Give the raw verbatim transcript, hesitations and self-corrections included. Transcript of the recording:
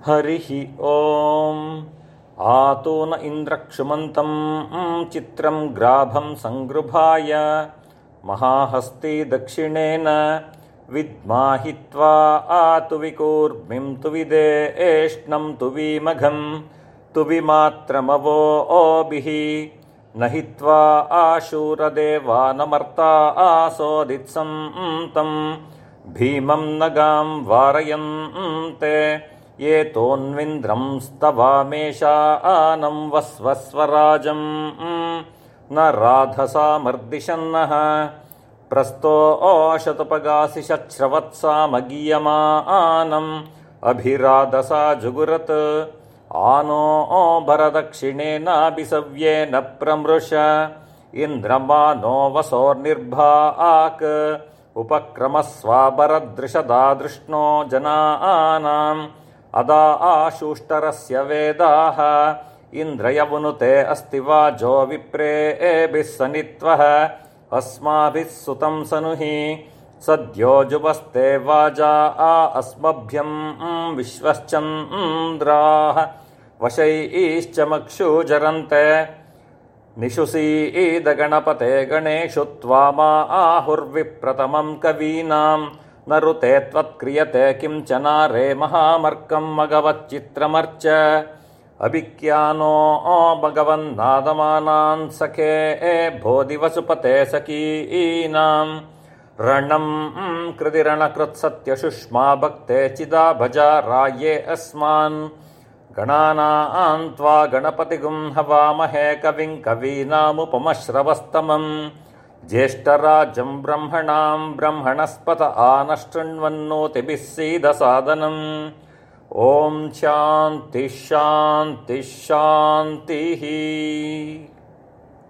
हरिः ॐ आतो न इन्द्रक्षुमन्तं चित्रं ग्राभं संगृभाय महाहस्ती दक्षिणेन विद्माहित्वा आतु विकूर्मिं तु विदेष्णं तु विमघं तु विमात्रमवो ओभिः न हित्वा आशूरदेवानमर्ता आसोदित्सं तं भीमं नगां वारयन्ते ये तोन्विन्द्रं स्तवामेषानं वस्वस्वराजं न राधसामर्दिशन्नः प्रस्तो ओशतुपगासि शच्छ्रवत्सामगीयमानम् अभिराधसा जुगुरत् आनो भरदक्षिणेनाभिसव्येन प्रमृश इन्द्रमानो वसोर्निर्भाक् उपक्रमस्वाबरदृशदादृष्णो जनानाम् अदा आशुष्टरस्य वेदाः इन्द्रयवुनुते अस्ति वाजो विप्रेभिः सनित्वः अस्माभिः सुतं सनुहि सद्यो जुवस्ते वाजा आ अस्मभ्यं विश्वश्चन्द्राः वशैश्च मक्षुजरन्ते निशुसीदगणपते गणेषु त्वामा आहुर्विप्रतमं कवीनां न ऋते त्वत्क्रियते किंचनारे महामर्कं मगवच्चित्रमर्च अभिक्यानो भगवन्नादमानान् सखे बोधिवसुपते सखीनां रणं कृतिरणकृत्सत्यशुष्मा भक्ते चिदा भजा राये अस्मान् गणानां त्वा गणपतिगुं हवामहे कविं कवीनामुपमश्रवस्तमं ज्येष्ठराजं ब्रह्मणां ब्रह्मणस्पत आनशृण्वन्नोतिभिः सीदसादनम् ॐ शान्तिः शान्तिः शान्तिः।